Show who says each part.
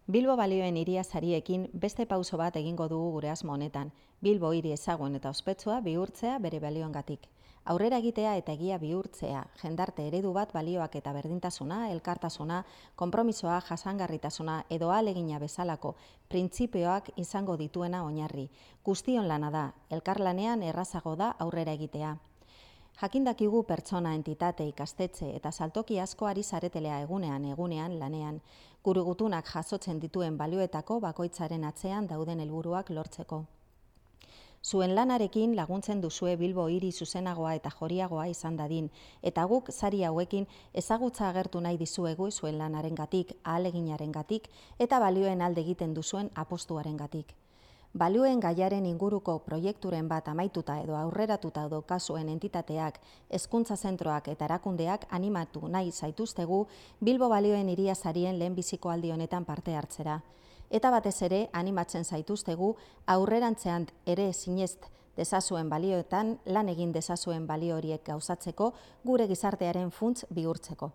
Speaker 1: Bilbo balioen hiria sariekin beste pauso bat egingo dugu gure asmo honetan. Bilbo hiri ezagun eta ospetsua bihurtzea bere balioengatik. Aurrera egitea eta egia bihurtzea, jendarte eredu bat balioak eta berdintasuna, elkartasuna, konpromisoa, jasangarritasuna edo ahalegina bezalako printzipioak izango dituena oinarri. Guztion lana da, elkarlanean errazago da aurrera egitea. Jakindakigu pertsona, entitate, ikastetxe eta saltoki asko ari zaretelea egunean lanean, gure gutunak jasotzen dituen balioetako bakoitzaren atzean dauden helburuak lortzeko. Zuen lanarekin laguntzen duzue Bilbo hiri zuzenagoa eta joriagoa izan dadin, eta guk sari hauekin ezagutza agertu nahi dizuegu zuen lanarengatik, ahaleginarengatik eta balioen alde egiten duzuen apostuarengatik. Balioen gaiaren inguruko proiekturen bat amaituta edo aurreratuta daukazuen entitateak, hezkuntza zentroak eta erakundeak animatu nahi zaituztegu Bilbo balioen hiria sarien lehenbiziko aldi honetan parte hartzera. Eta batez ere animatzen zaituztegu aurrerantzean ere sinest dezazuen balioetan lan egin dezazuen balio horiek gauzatzeko gure gizartearen funts bihurtzeko.